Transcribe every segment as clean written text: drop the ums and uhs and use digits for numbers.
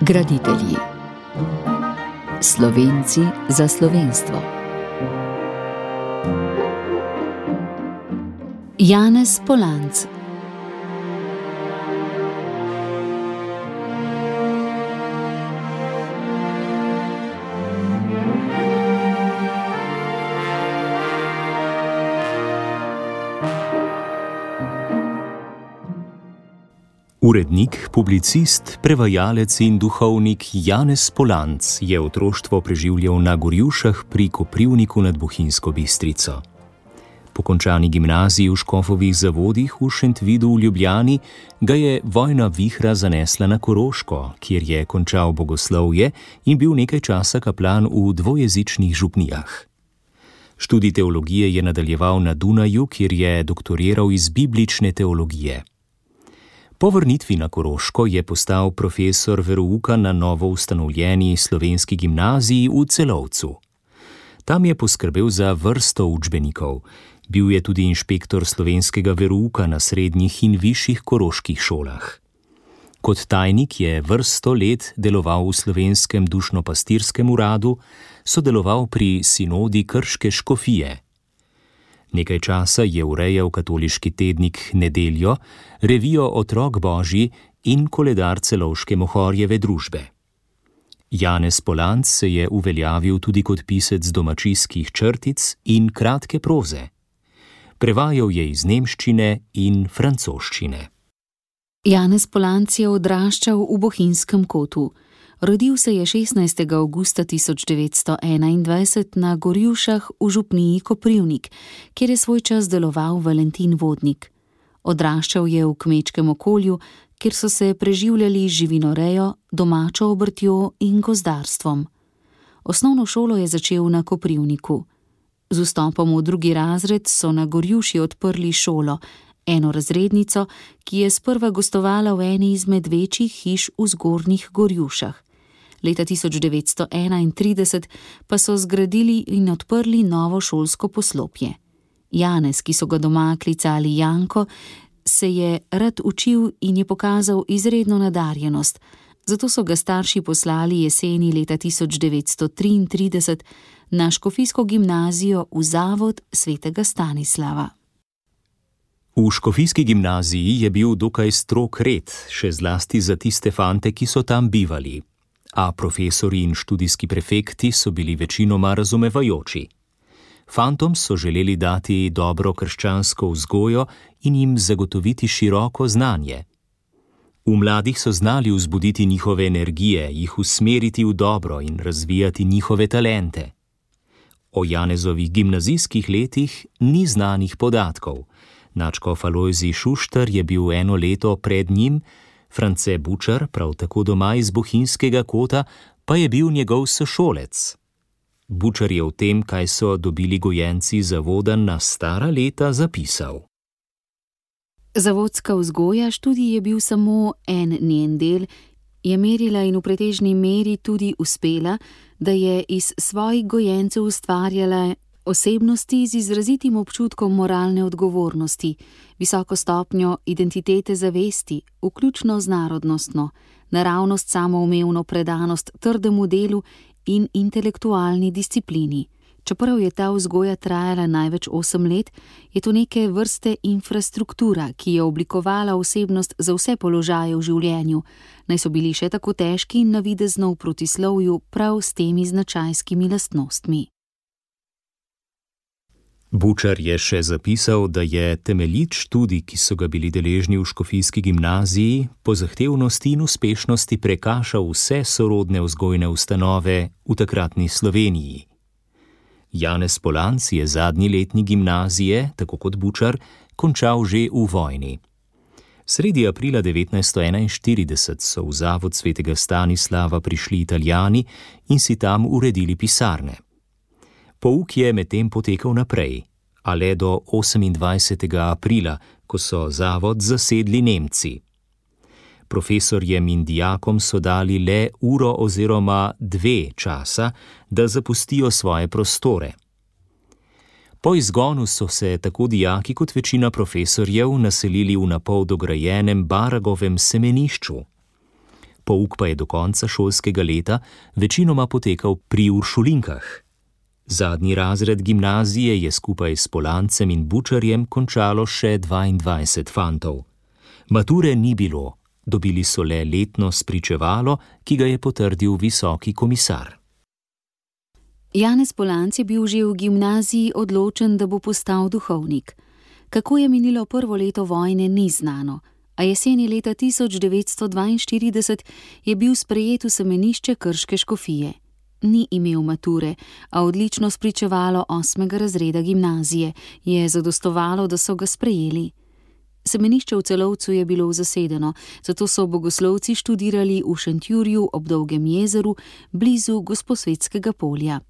Graditelji. Slovenci za slovenstvo. Janez Polanc. Urednik, publicist, prevajalec in duhovnik Janez Polanc je otroštvo preživljal na Gorjušah pri Koprivniku nad Bohinjsko Bistrico. Po končani gimnaziji v Škofovih Zavodih v Šentvidu v Ljubljani ga je vojna vihra zanesla na Koroško, kjer je končal bogoslovje in bil nekaj časa kaplan v dvojezičnih župnijah. Študij teologije je nadaljeval na Dunaju, kjer je doktoriral iz biblične teologije. Po vrnitvi na Koroško je postal profesor verouka na novo ustanovljeni slovenski gimnaziji v Celovcu. Tam je poskrbel za vrsto učbenikov. Bil je tudi inšpektor slovenskega verouka na srednjih in višjih koroških šolah. Kot tajnik je vrsto let deloval v slovenskem dušnopastirskem uradu, sodeloval pri sinodi Krške škofije. Nekaj časa je urejal katoliški tednik Nedeljo, revijo Otrok Božji in koledar Celovške Mohorjeve družbe. Janez Polanc se je uveljavil tudi kot pisec domačijskih črtic in kratke proze. Prevajal je iz nemščine in francoščine. Janez Polanc je odraščal v Bohinjskem kotu. Rodil se je 16. avgusta 1921 na Gorjušah v župniji Koprivnik, kjer je svoj čas deloval Valentin Vodnik. Odraščal je v kmečkem okolju, kjer so se preživljali živinorejo, domačo obrtjo in gozdarstvom. Osnovno šolo je začel na Koprivniku. Z vstopom v 2. razred so na Gorjuši odprli šolo, eno razrednico, ki je sprva gostovala v eni izmed večjih hiš v Zgornjih Gorjušah. Leta 1931 pa so zgradili in odprli novo šolsko poslopje. Janez, ki so ga doma klicali Janko, se je rad učil in je pokazal izredno nadarjenost, zato so ga starši poslali jeseni leta 1933 na škofijsko gimnazijo v Zavod svetega Stanislava. V škofijski gimnaziji je bil dokaj strog red, še zlasti za tiste fante, ki so tam bivali. A profesori in študijski prefekti so bili večinoma razumevajoči. Fantom so želeli dati dobro krščansko vzgojo in jim zagotoviti široko znanje. V mladih so znali vzbuditi njihove energije, jih usmeriti v dobro in razvijati njihove talente. O Janezovih gimnazijskih letih ni znanih podatkov. Nadškof Alojzij Šuštar je bil eno leto pred njim, France Bučar, prav tako doma iz Bohinjskega kota, pa je bil njegov sošolec. Bučar je o tem, kaj so dobili gojenci zavoda na stara leta, zapisal. Zavodska vzgoja, študij je bil samo en njen del, je merila in v pretežni meri tudi uspela, da je iz svojih gojencev ustvarjala osebnosti z izrazitim občutkom moralne odgovornosti, visoko stopnjo identitete zavesti, vključno z narodnostno, naravnost samoumevno predanost trdemu delu in intelektualni disciplini. Čeprav je ta vzgoja trajala največ 8 let, je to neke vrste infrastruktura, ki je oblikovala osebnost za vse položaje v življenju, naj so bili še tako težki in navidezno v protislovju prav s temi značajskimi lastnostmi. Bučar je še zapisal, da je temeljit študij, ki so ga bili deležni v škofijski gimnaziji, po zahtevnosti in uspešnosti prekašal vse sorodne vzgojne ustanove v takratni Sloveniji. Janez Polanc je zadnji letnik gimnazije, tako kot Bučar, končal že v vojni. Sredi aprila 1941 so v Zavod svetega Stanislava prišli Italijani in si tam uredili pisarne. Pouk je medtem potekal naprej, a le do 28. aprila, ko so zavod zasedli Nemci. Profesorjem in dijakom so dali le uro oziroma 2 časa, da zapustijo svoje prostore. Po izgonu so se tako dijaki kot večina profesorjev naselili v napol dograjenem Baragovem semenišču. Pouk pa je do konca šolskega leta večinoma potekal pri uršulinkah. Zadnji razred gimnazije je skupaj s Polancem in Bučarjem končalo še 22 fantov. Mature ni bilo, dobili so le letno spričevalo, ki ga je potrdil visoki komisar. Janez Polanc je bil že v gimnaziji odločen, da bo postal duhovnik. Kako je minilo prvo leto vojne, ni znano, a jeseni leta 1942 je bil sprejet v semenišče krške škofije. Ni imel mature, a odlično spričevalo 8. razreda gimnazije je zadostovalo, da so ga sprejeli. Semenišče v Celovcu je bilo zasedeno, zato so bogoslovci študirali v Šentjurju ob Dolgem jezeru, blizu Gosposvetskega polja.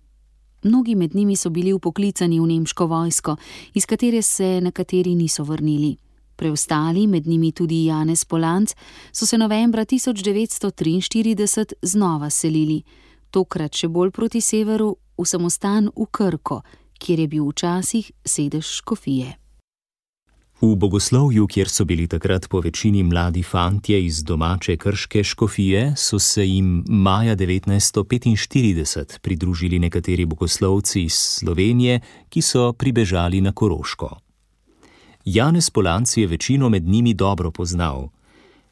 Mnogi med njimi so bili vpoklicani v nemško vojsko, iz katere se nekateri niso vrnili. Preostali, med njimi tudi Janez Polanc, so se novembra 1943 znova selili, tokrat še bolj proti severu, v samostan v Krko, kjer je bil včasih sedež škofije. V bogoslovju, kjer so bili takrat po večini mladi fantje iz domače krške škofije, so se jim maja 1945 pridružili nekateri bogoslovci iz Slovenije, ki so pribežali na Koroško. Janez Polanc je večino med njimi dobro poznal.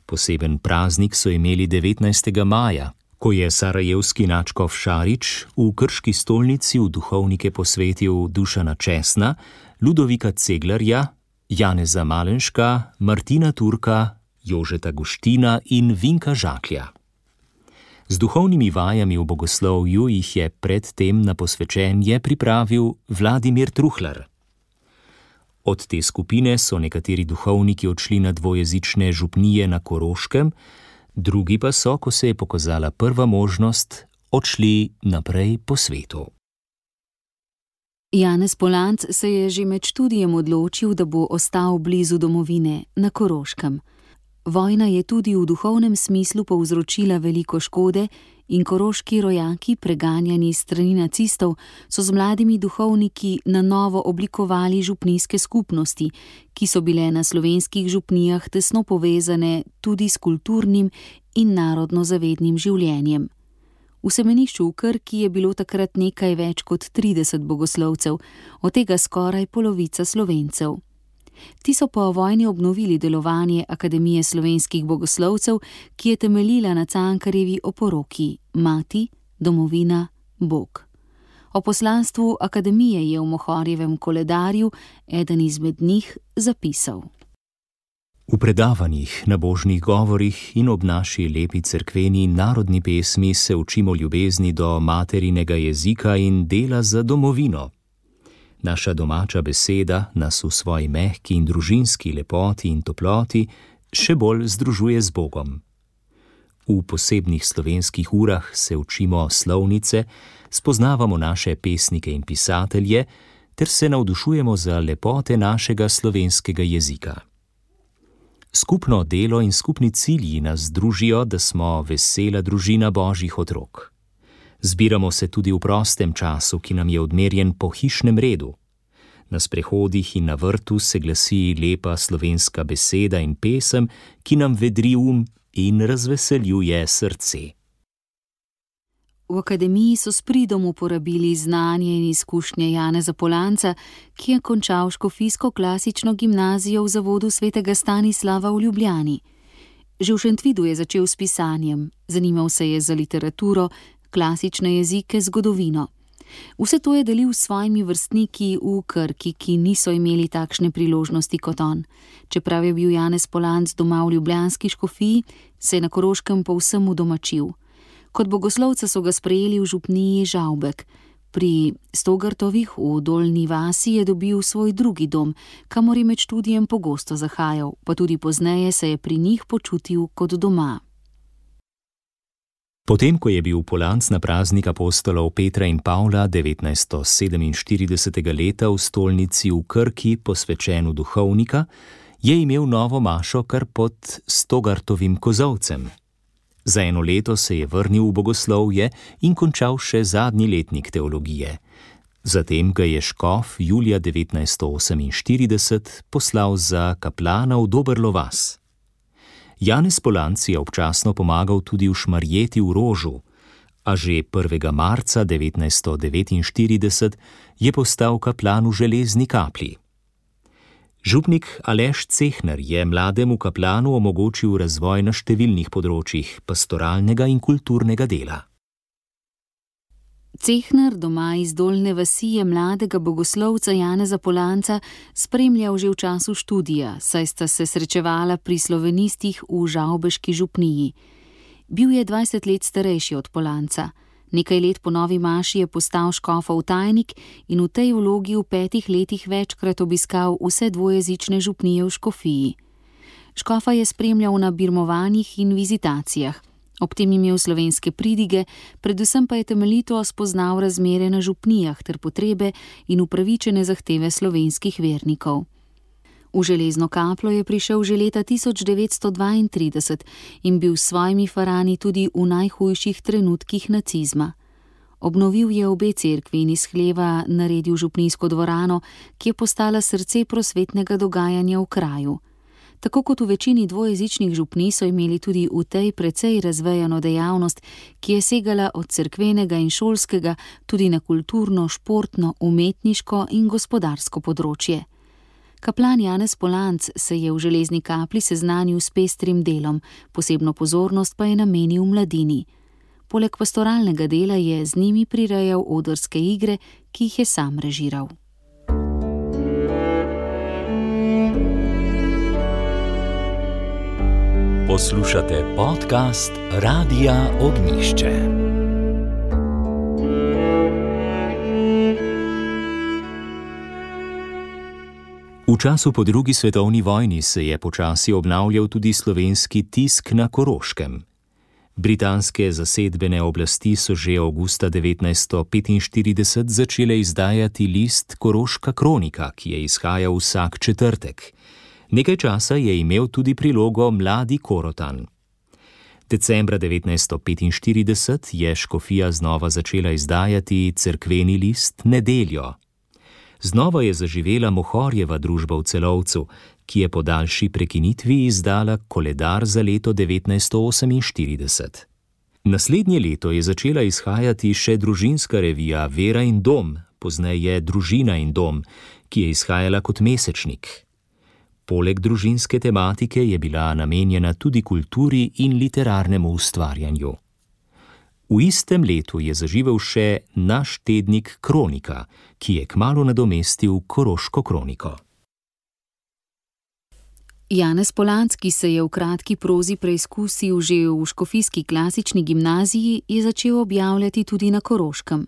Poseben praznik so imeli 19. maja, ko je sarajevski nadškof Šarić v krški stolnici v duhovnike posvetil Dušana Česna, Ludovika Ceglarja, Janeza Malenška, Martina Turka, Jožeta Guština in Vinka Žaklja. Z duhovnimi vajami v bogoslovju jih je predtem na posvečenje pripravil Vladimir Truhlar. Od te skupine so nekateri duhovniki odšli na dvojezične župnije na Koroškem, drugi pa so, ko se je pokazala prva možnost, odšli naprej po svetu. Janez Polanc se je že med študijem odločil, da bo ostal blizu domovine, na Koroškem. Vojna je tudi v duhovnem smislu povzročila veliko škode in koroški rojaki, preganjani s strani nacistov, so z mladimi duhovniki na novo oblikovali župnijske skupnosti, ki so bile na slovenskih župnijah tesno povezane tudi s kulturnim in narodno-zavednim življenjem. V semenišču v Krki je bilo takrat nekaj več kot 30 bogoslovcev, od tega skoraj polovica Slovencev. Ti so po vojni obnovili delovanje Akademije slovenskih bogoslovcev, ki je temeljila na Cankarjevi oporoki Mati, domovina, Bog. O poslanstvu akademije je v Mohorjevem koledarju eden izmed njih zapisal. V predavanjih, nabožnih govorih in ob naši lepi cerkveni narodni pesmi se učimo ljubezni do materinega jezika in dela za domovino. Naša domača beseda nas v svoji mehki in družinski lepoti in toploti še bolj združuje z Bogom. V posebnih slovenskih urah se učimo slovnice, spoznavamo naše pesnike in pisatelje ter se navdušujemo za lepote našega slovenskega jezika. Skupno delo in skupni cilji nas združijo, da smo vesela družina Božjih otrok. Zbiramo se tudi v prostem času, ki nam je odmerjen po hišnem redu. Na sprehodih in na vrtu se glasi lepa slovenska beseda in pesem, ki nam vedri in razveseljuje srce. V akademiji so s pridom uporabili znanje in izkušnje Janeza Polanca, ki je končal škofijsko klasično gimnazijo v zavodu svetega Stanislava v Ljubljani. Že v Šentvidu je začel s pisanjem, zanimal se je za literaturo, klasične jezike, zgodovino. Vse to je delil s svojimi vrstniki v Krki, ki niso imeli takšne priložnosti kot on. Čeprav je bil Janez Polanc doma v ljubljanski škofiji, se je na Koroškem povsem udomačil. Kot bogoslovca so ga sprejeli v župniji Žavbek. Pri Stogartovih v Dolnji vasi je dobil svoj drugi dom, kamor je med študijem pogosto zahajal, pa tudi pozneje se je pri njih počutil kot doma. Potem, ko je bil Polanc na praznik apostolov Petra in Pavla 1947. leta v stolnici v Krki posvečen v duhovnika, je imel novo mašo kar pod Stogartovim kozolcem. Za 1 leto se je vrnil v bogoslovje in končal še zadnji letnik teologije. Zatem ga je škof julija 1948 poslal za kaplana v Dobrlo vas. Janez Polanc je občasno pomagal tudi v Šmarjeti v Rožu, a že 1. marca 1949 je postal kaplan v Železni Kapli. Župnik Aleš Cehner je mlademu kaplanu omogočil razvoj na številnih področjih pastoralnega in kulturnega dela. Cehner doma iz Dolnje vasi je mladega bogoslovca Janeza Polanca spremljal že v času študija, saj sta se srečevala pri slovenistih v žavbeški župniji. Bil je 20 let starejši od Polanca. Nekaj let po novi maši je postal škofov tajnik in v tej vlogi v 5 letih večkrat obiskal vse dvojezične župnije v škofiji. Škofa je spremljal na birmovanjih in vizitacijah. Ob tem imel slovenske pridige, predvsem pa je temeljito spoznal razmere na župnijah ter potrebe in upravičene zahteve slovenskih vernikov. V Železno Kaplo je prišel že leta 1932 in bil s svojimi farani tudi v najhujših trenutkih nacizma. Obnovil je obe cerkvi in iz hleva naredil župnijsko dvorano, ki je postala srce prosvetnega dogajanja v kraju. Tako kot v večini dvojezičnih župnij so imeli tudi v tej precej razvejano dejavnost, ki je segala od cerkvenega in šolskega tudi na kulturno, športno, umetniško in gospodarsko področje. Kaplan Janez Polanc se je v Železni Kapli seznanil s pestrim delom, posebno pozornost pa je namenil mladini. Poleg pastoralnega dela je z njimi prirejal odrske igre, ki jih je sam režiral. Poslušate podcast Radia Ognjišče. V času po drugi svetovni vojni se je počasi obnavljal tudi slovenski tisk na Koroškem. Britanske zasedbene oblasti so že avgusta 1945 začele izdajati list Koroška kronika, ki je izhajal vsak četrtek. Nekaj časa je imel tudi prilogo Mladi Korotan. Decembra 1945 je škofija znova začela izdajati cerkveni list Nedeljo. Znova je zaživela Mohorjeva družba v Celovcu, ki je po daljši prekinitvi izdala koledar za leto 1948. Naslednje leto je začela izhajati še družinska revija Vera in dom, pozneje Družina in dom, ki je izhajala kot mesečnik. Poleg družinske tematike je bila namenjena tudi kulturi in literarnemu ustvarjanju. V istem letu je zaživel še Naš tednik Kronika, ki je kmalu nadomestil Koroško kroniko. Janez Polanc, ki se je v kratki prozi preizkusil že v škofijski klasični gimnaziji, je začel objavljati tudi na Koroškem.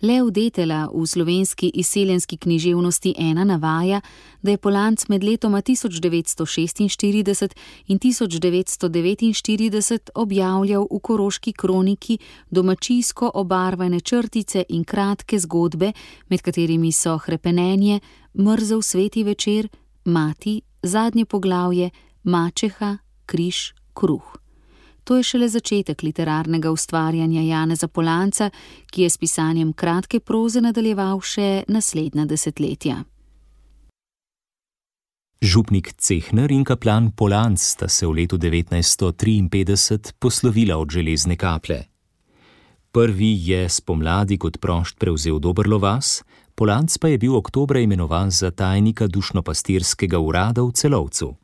Lev Detela v slovenski izseljenski književnosti 1 navaja, da je Polanc med letoma 1946 in 1949 objavljal v Koroški kroniki domačijsko obarvane črtice in kratke zgodbe, med katerimi so Hrepenenje, Mrzel sveti večer, Mati, Zadnje poglavje, Mačeha, Križ, Kruh. To je šele začetek literarnega ustvarjanja Janeza Polanca, ki je s pisanjem kratke proze nadaljeval še naslednja desetletja. Župnik Cehner in kaplan Polanc sta se v letu 1953 poslovila od Železne Kaple. Prvi je spomladi kot prošt prevzel Dobrlo vas, Polanc pa je bil oktobra imenovan za tajnika dušnopastirskega urada v Celovcu.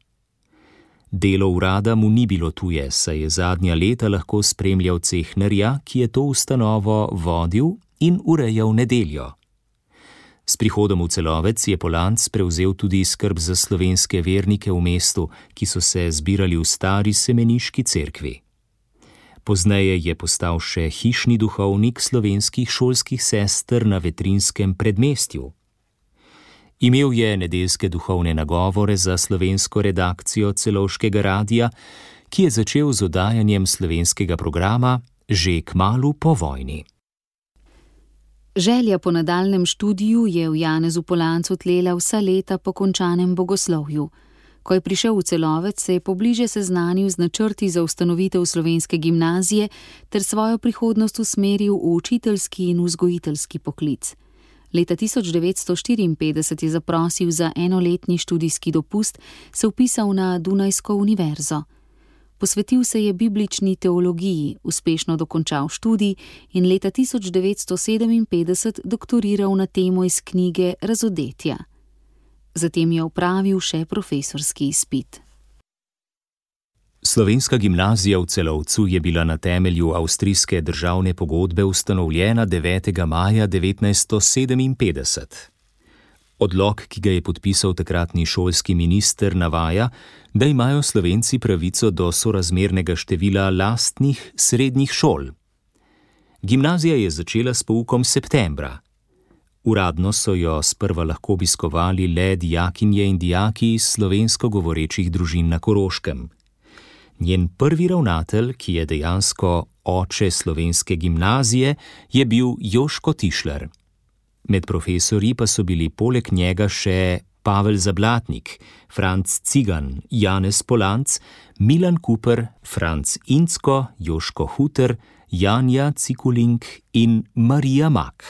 Delo urada mu ni bilo tuje, saj je zadnja leta lahko spremljal Cehnerja, ki je to ustanovo vodil in urejal Nedeljo. S prihodom v Celovec je Polanc prevzel tudi skrb za slovenske vernike v mestu, ki so se zbirali v stari semeniški cerkvi. Pozneje je postal še hišni duhovnik slovenskih šolskih sester na Vetrinskem predmestju. Imel je nedeljske duhovne nagovore za slovensko redakcijo Celovškega radia, ki je začel z oddajanjem slovenskega programa že kmalu po vojni. Želja po nadaljnjem študiju je v Janezu Polancu tlela vsa leta po končanem bogoslovju. Ko je prišel v Celovec, se je pobliže seznanil z načrti za ustanovitev slovenske gimnazije ter svojo prihodnost usmeril v učiteljski in vzgojiteljski poklic. Leta 1954 je zaprosil za enoletni študijski dopust, se vpisal na Dunajsko univerzo. Posvetil se je biblični teologiji, uspešno dokončal študij in leta 1957 doktoriral na temo iz knjige Razodetja. Zatem je opravil še profesorski izpit. Slovenska gimnazija v Celovcu je bila na temelju avstrijske državne pogodbe ustanovljena 9. maja 1957. Odlok, ki ga je podpisal takratni šolski minister, navaja, da imajo Slovenci pravico do sorazmernega števila lastnih srednjih šol. Gimnazija je začela s poukom septembra. Uradno so jo sprva lahko obiskovali le dijakinje in dijaki iz slovensko govorečih družin na Koroškem. Njen prvi ravnatelj, ki je dejansko oče slovenske gimnazije, je bil Joško Tišler. Med profesorji pa so bili poleg njega še Pavel Zablatnik, Franc Cigan, Janez Polanc, Milan Kuper, Franc Incko, Joško Huter, Janja Cikulink in Marija Mak.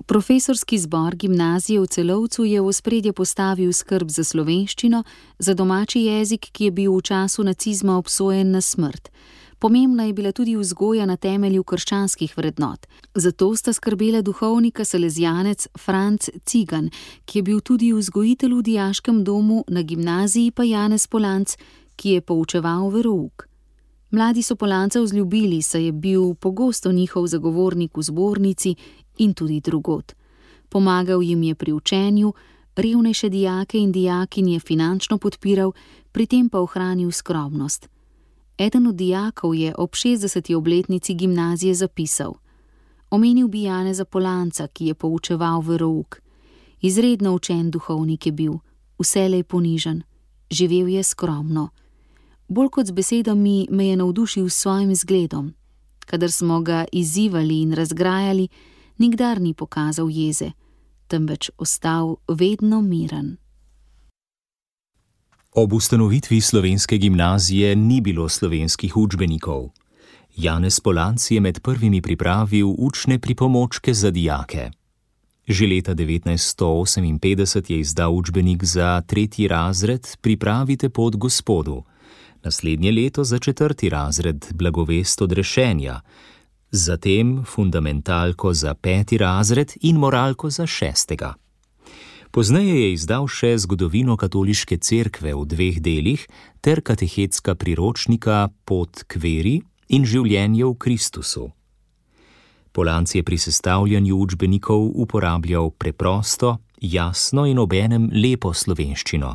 Profesorski zbor gimnazije v Celovcu je v ospredje postavil skrb za slovenščino, za domači jezik, ki je bil v času nacizma obsojen na smrt. Pomembna je bila tudi vzgoja na temelju krščanskih vrednot. Zato sta skrbela duhovnika salezijanec Franc Cigan, ki je bil tudi vzgojitelj v dijaškem domu, na gimnaziji pa Janez Polanc, ki je poučeval verouk. Mladi so Polanca vzljubili, saj je bil pogosto njihov zagovornik v zbornici in tudi drugod. Pomagal jim je pri učenju, revnejše dijake in dijakinje finančno podpiral, pri tem pa ohranil skromnost. Eden od dijakov je ob 60. obletnici gimnazije zapisal: Omenil bi Janeza Polanca, ki je poučeval verouk. Izredno učen duhovnik je bil, vselej ponižen, živel je skromno. Bolj kot z besedami me je navdušil s svojim zgledom. Kadar smo ga izzivali in razgrajali, nikdar ni pokazal jeze, temveč ostal vedno miren. Ob ustanovitvi slovenske gimnazije ni bilo slovenskih učbenikov. Janez Polanc je med prvimi pripravil učne pripomočke za dijake. Že leta 1958 je izdal učbenik za 3. razred Pripravite pot Gospodu, naslednje leto za 4. razred Blagovest odrešenja, zatem fundamentalko za 5. razred in moralko za 6. Pozneje je izdal še Zgodovino katoliške cerkve v 2 delih ter katehetska priročnika Pot k veri in Življenje v Kristusu. Polanc je pri sestavljanju učbenikov uporabljal preprosto, jasno in obenem lepo slovenščino.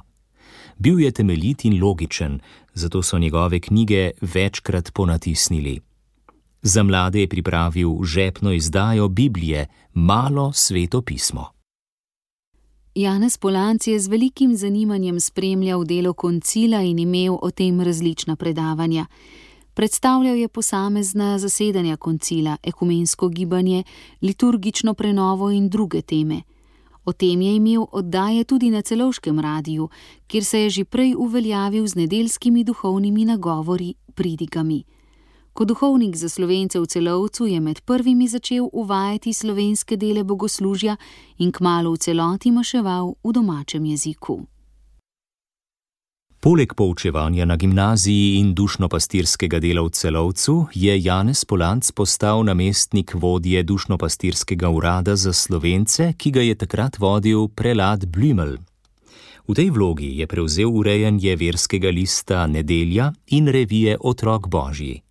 Bil je temeljit in logičen, zato so njegove knjige večkrat ponatisnili. Za mlade je pripravil žepno izdajo Biblije, Malo sveto pismo. Janez Polanc je z velikim zanimanjem spremljal delo koncila in imel o tem različna predavanja. Predstavljal je posamezna zasedanja koncila, ekumensko gibanje, liturgično prenovo in druge teme. O tem je imel oddaje tudi na Celovškem radiju, kjer se je že prej uveljavil z nedeljskimi duhovnimi nagovori, pridigami. Kot duhovnik za Slovence v Celovcu je med prvimi začel uvajati slovenske dele bogoslužja in kmalu v celoti maševal v domačem jeziku. Poleg poučevanja na gimnaziji in dušnopastirskega dela v Celovcu je Janez Polanc postal namestnik vodje dušnopastirskega urada za Slovence, ki ga je takrat vodil prelat Blümel. V tej vlogi je prevzel urejanje verskega lista Nedelja in revije Otrok Božji.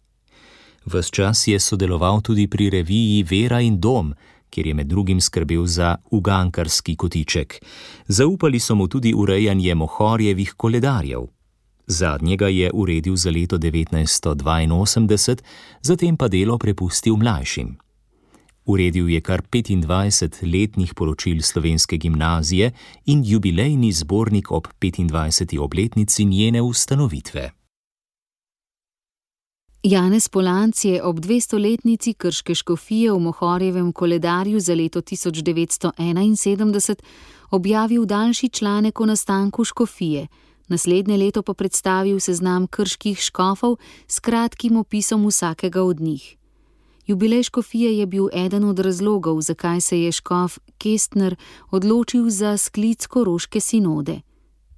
Ves čas je sodeloval tudi pri reviji Vera in dom, kjer je med drugim skrbel za ugankarski kotiček. Zaupali so mu tudi urejanje Mohorjevih koledarjev. Zadnjega je uredil za leto 1982, zatem pa delo prepustil mlajšim. Uredil je kar 25 letnih poročil slovenske gimnazije in jubilejni zbornik ob 25. obletnici njene ustanovitve. Janez Polanc je ob 200-letnici krške škofije v Mohorjevem koledarju za leto 1971 objavil daljši članek o nastanku škofije, naslednje leto pa predstavil seznam krških škofov s kratkim opisom vsakega od njih. Jubilej škofije je bil eden od razlogov, zakaj se je škof Kestner odločil za sklic koroške sinode.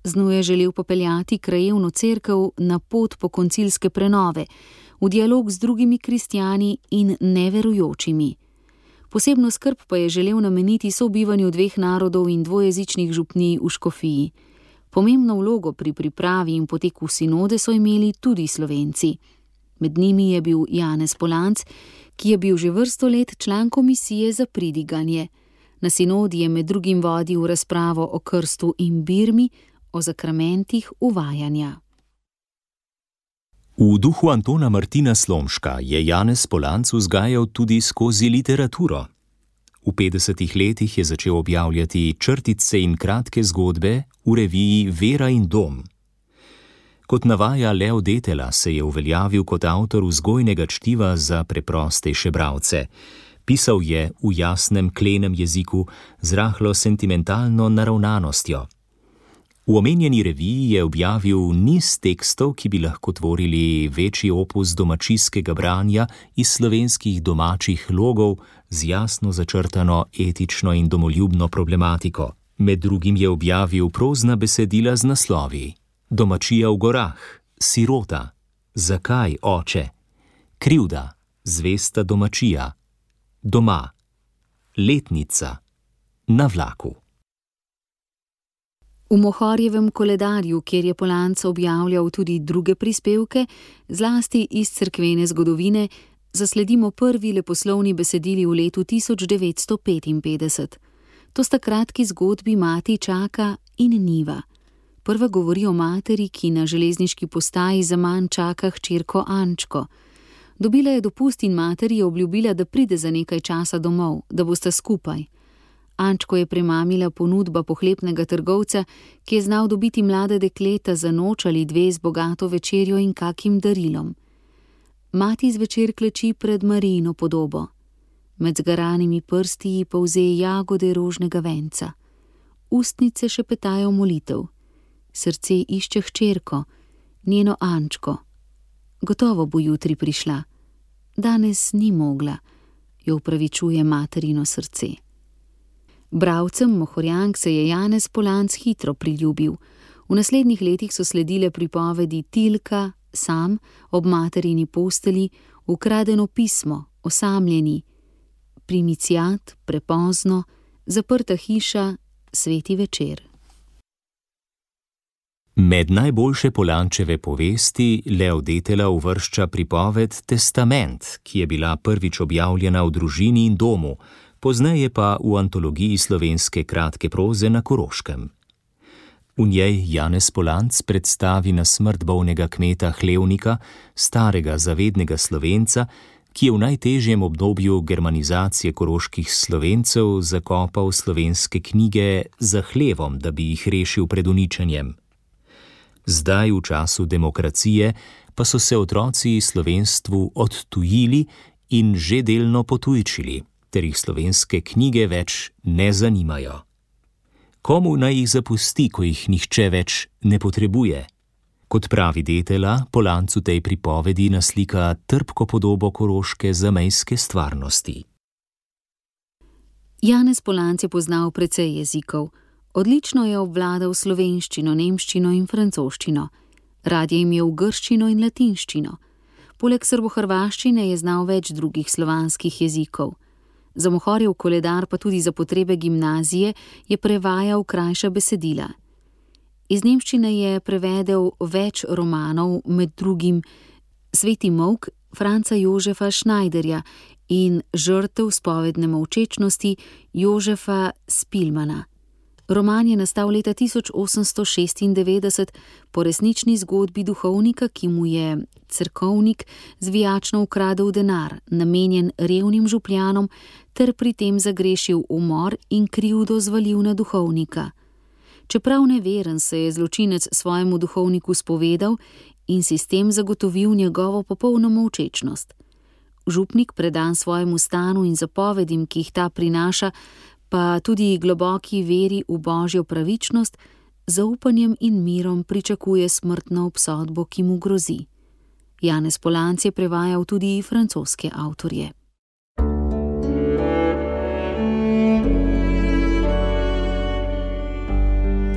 Z njo je želel popeljati krajevno cerkev na pot po koncilske prenove, v dialog z drugimi kristjani in neverujočimi. Posebno skrb pa je želel nameniti sobivanju dveh narodov in dvojezičnih župnij v škofiji. Pomembno vlogo pri pripravi in poteku sinode so imeli tudi Slovenci. Med njimi je bil Janez Polanc, ki je bil že vrsto let član komisije za pridiganje. Na sinodi je med drugim vodil razpravo o krstu in birmi, o zakramentih uvajanja. V duhu Antona Martina Slomška je Janez Polanc vzgajal tudi skozi literaturo. V 50. letih je začel objavljati črtice in kratke zgodbe v reviji Vera in dom. Kot navaja Leo Detela, se je uveljavil kot avtor vzgojnega čtiva za preprostejše bralce. Pisal je v jasnem, klenem jeziku z rahlo sentimentalno naravnanostjo. V omenjeni reviji je objavil niz tekstov, ki bi lahko tvorili večji opus domačijskega branja iz slovenskih domačih logov z jasno začrtano etično in domoljubno problematiko. Med drugim je objavil prozna besedila z naslovi: Domačija v gorah, Sirota, Zakaj, oče, Krivda, Zvesta domačija, Doma, Letnica, Na vlaku. V Mohorjevem koledarju, kjer je Polanc objavljal tudi druge prispevke, zlasti iz cerkvene zgodovine, zasledimo prvi leposlovni besedili v letu 1955. To sta kratki zgodbi Mati čaka in Niva. Prva govori o materi, ki na železniški postaji zaman čaka hčerko Ančko. Dobila je dopust in materi je obljubila, da pride za nekaj časa domov, da bosta skupaj. Ančko je premamila ponudba pohlepnega trgovca, ki je znal dobiti mlade dekleta za noč ali dve z bogato večerjo in kakim darilom. Mati zvečer kleči pred Marijino podobo. Med zgaranimi prsti ji polze jagode rožnega venca. Ustnice šepetajo molitev. Srce išče hčerko, njeno Ančko. Gotovo bo jutri prišla. Danes ni mogla, jo upravičuje materino srce. Bralcem Mohorjank se je Janez Polanc hitro priljubil. V naslednjih letih so sledile pripovedi Tilka, Sam, Ob materini posteli, Ukradeno pismo, Osamljeni, Primicijat, Prepozno, Zaprta hiša, Sveti večer. Med najboljše Polančeve povesti Leo Detela uvršča pripoved Testament, ki je bila prvič objavljena v Družini in domu, pozneje pa v antologiji slovenske kratke proze na Koroškem. V njej Janez Polanc predstavi na smrt bolnega kmeta Hlevnika, starega zavednega Slovenca, ki je v najtežjem obdobju germanizacije koroških Slovencev zakopal slovenske knjige za hlevom, da bi jih rešil pred uničenjem. Zdaj, v času demokracije, pa so se otroci slovenstvu odtujili in že delno potujčili, ter jih slovenske knjige več ne zanimajo. Komu naj jih zapusti, ko jih nihče več ne potrebuje? Kot pravi Detela, Polanc v tej pripovedi naslika trpko podobo koroške zamejske stvarnosti. Janez Polanc je poznal precej jezikov. Odlično je obvladal slovenščino, nemščino in francoščino. Rad je imel grščino in latinščino. Poleg srbohrvaščine je znal več drugih slovanskih jezikov. Za Mohorjev koledar, pa tudi za potrebe gimnazije, je prevajal krajša besedila. Iz nemščine je prevedel več romanov, med drugim Sveti molk Franca Jožefa Schneiderja in Žrtev spovedne molčečnosti Jožefa Spilmana. Roman je nastal leta 1896 po resnični zgodbi duhovnika, ki mu je cerkovnik zvijačno ukradel denar, namenjen revnim župljanom, ter pri tem zagrešil umor in krivdo zvalil na duhovnika. Čeprav neveren, se je zločinec svojemu duhovniku spovedal in si s tem zagotovil njegovo popolno molčečnost. Župnik, predan svojemu stanu in zapovedim, ki jih ta prinaša, pa tudi globoki veri v božjo pravičnost, zaupanjem in mirom pričakuje smrtno obsodbo, ki mu grozi. Janez Polanc je prevajal tudi francoske avtorje.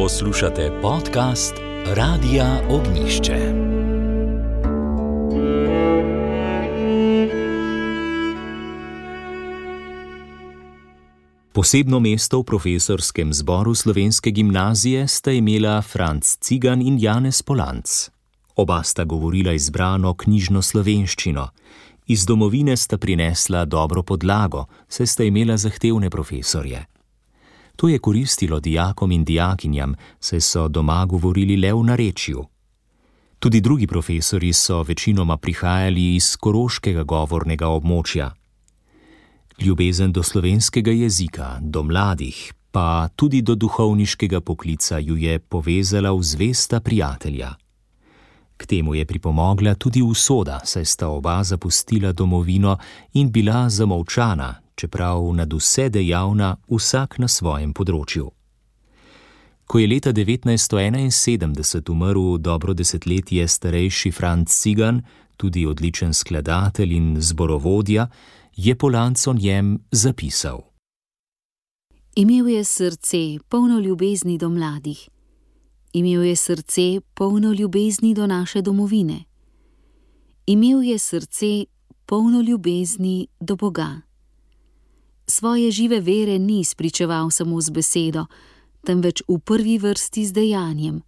Poslušate podcast Radia Ognjišče. Posebno mesto v profesorskem zboru slovenske gimnazije sta imela Franc Cigan in Janez Polanc. Oba sta govorila izbrano knjižno slovenščino. Iz domovine sta prinesla dobro podlago, saj sta imela zahtevne profesorje. To je koristilo dijakom in dijakinjam, saj so doma govorili le v narečju. Tudi drugi profesorji so večinoma prihajali iz koroškega govornega območja. Ljubezen do slovenskega jezika, do mladih, pa tudi do duhovniškega poklica ju je povezala v zvesta prijatelja. K temu je pripomogla tudi usoda, saj sta oba zapustila domovino in bila zamolčana, čeprav nadvse dejavna vsak na svojem področju. Ko je leta 1971 umrl dobro desetletje starejši Franc Cigan, tudi odličen skladatelj in zborovodja, je Polanc o njem zapisal. Imel je srce polno ljubezni do mladih. Imel je srce polno ljubezni do naše domovine. Imel je srce polno ljubezni do Boga. Svoje žive vere ni spričeval samo z besedo, temveč v prvi vrsti z dejanjem.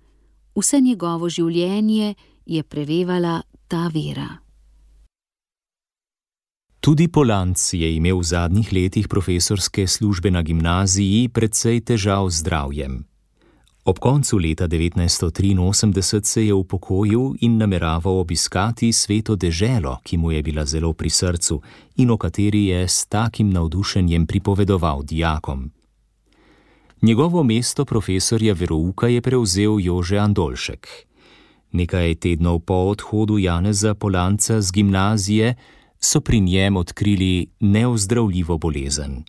Vse njegovo življenje je prevevala ta vera. Tudi Polanc je imel v zadnjih letih profesorske službe na gimnaziji precej težav z zdravjem. Ob koncu leta 1983 se je upokojil in nameraval obiskati Sveto deželo, ki mu je bila zelo pri srcu in o kateri je s takim navdušenjem pripovedoval dijakom. Njegovo mesto profesorja verouka je prevzel Jože Andolšek. Nekaj tednov po odhodu Janeza Polanca z gimnazije so pri njem odkrili neozdravljivo bolezen.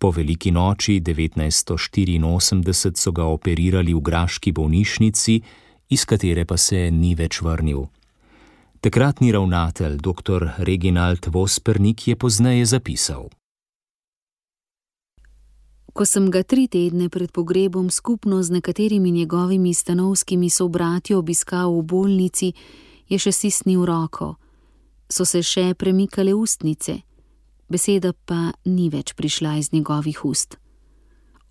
Po veliki noči 1984 so ga operirali v graški bolnišnici, iz katere pa se ni več vrnil. Takratni ravnatelj, dr. Reginald Vospernik, je pozneje zapisal. Ko sem ga 3 tedne pred pogrebom skupno z nekaterimi njegovimi stanovskimi sobratji obiskal v bolnici, je še stisnil roko. So se še premikale ustnice. Beseda pa ni več prišla iz njegovih ust.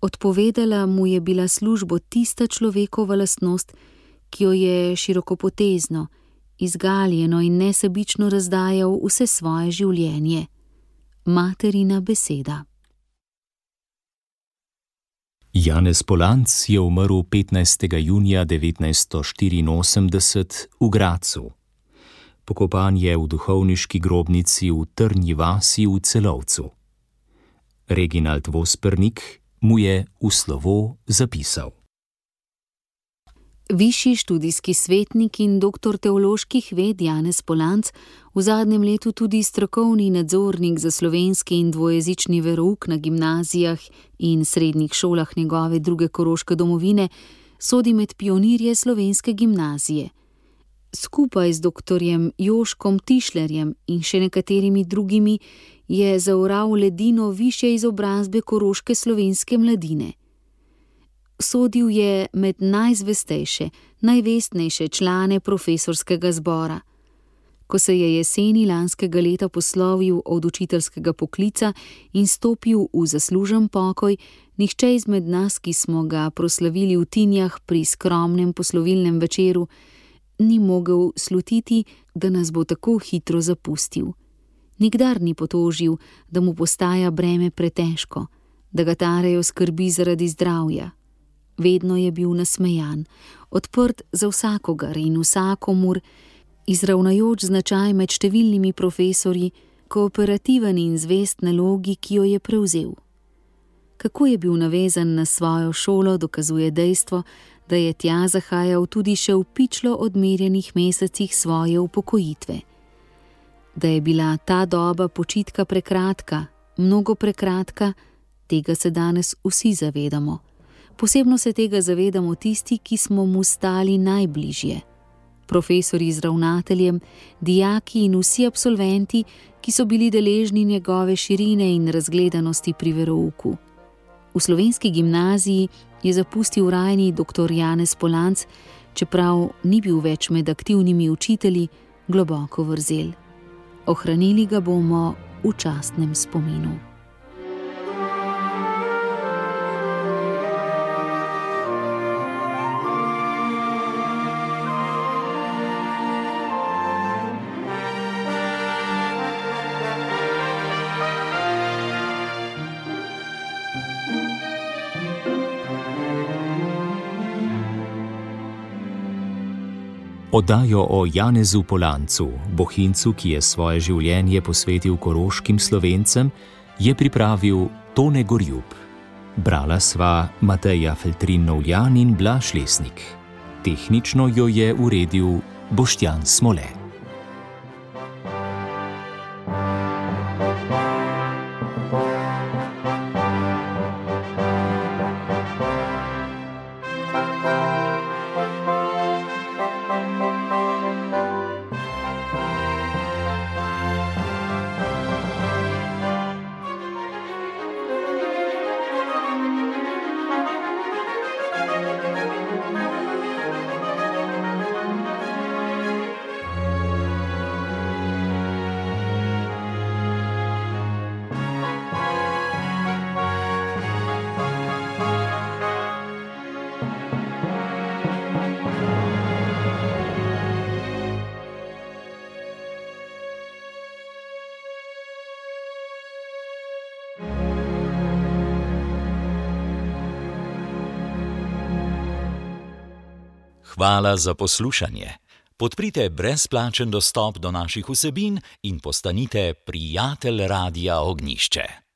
Odpovedala mu je bila službo tista človekova lastnost, ki jo je širokopotezno, izgaljeno in nesebično razdajal vse svoje življenje. Materina beseda. Janez Polanc je umrl 15. junija 1984 v Gradcu. Pokopan je v duhovniški grobnici v Trnji vasi v Celovcu. Reginald Vospernik mu je v slovo zapisal. Višji študijski svetnik in doktor teoloških ved Janez Polanc, v zadnjem letu tudi strokovni nadzornik za slovenski in dvojezični verouk na gimnazijah in srednjih šolah njegove druge koroške domovine, sodi med pionirje slovenske gimnazije. Skupaj z doktorjem Joškom Tišlerjem in še nekaterimi drugimi je zaoral ledino višje izobrazbe koroške slovenske mladine. Sodil je med najzvestejše, najvestnejše člane profesorskega zbora. Ko se je jeseni lanskega leta poslovil od učiteljskega poklica in stopil v zaslužen pokoj, nihče izmed nas, ki smo ga proslavili v Tinjah pri skromnem poslovilnem večeru, ni mogel slutiti, da nas bo tako hitro zapustil. Nikdar ni potožil, da mu postaja breme pretežko, da ga tarejo skrbi zaradi zdravja. Vedno je bil nasmejan, odprt za vsakogar in vsakomur, izravnajoč značaj med številnimi profesorji, kooperativen in zvest nalogi, ki jo je prevzel. Kako je bil navezan na svojo šolo, dokazuje dejstvo, da je tja zahajal tudi še v pičlo odmerjenih mesecih svoje upokojitve. Da je bila ta doba počitka prekratka, mnogo prekratka, tega se danes vsi zavedamo. Posebno se tega zavedamo tisti, ki smo mu stali najbližje. Profesorji z ravnateljem, dijaki in vsi absolventi, ki so bili deležni njegove širine in razgledanosti pri verouku. V slovenski gimnaziji je zapustil rajni dr. Janez Polanc, čeprav ni bil več med aktivnimi učitelji, globoko vrzel. Ohranili ga bomo v častnem spominu. Oddajo o Janezu Polancu, Bohinjcu, ki je svoje življenje posvetil koroškim Slovencem, je pripravil Tone Gorjup. Brala sva Mateja Feltrin-Novljan in Blaž Lesnik. Tehnično jo je uredil Boštjan Smole. Hvala za poslušanje. Podprite brezplačen dostop do naših vsebin in postanite prijatelj Radia Ognjišče.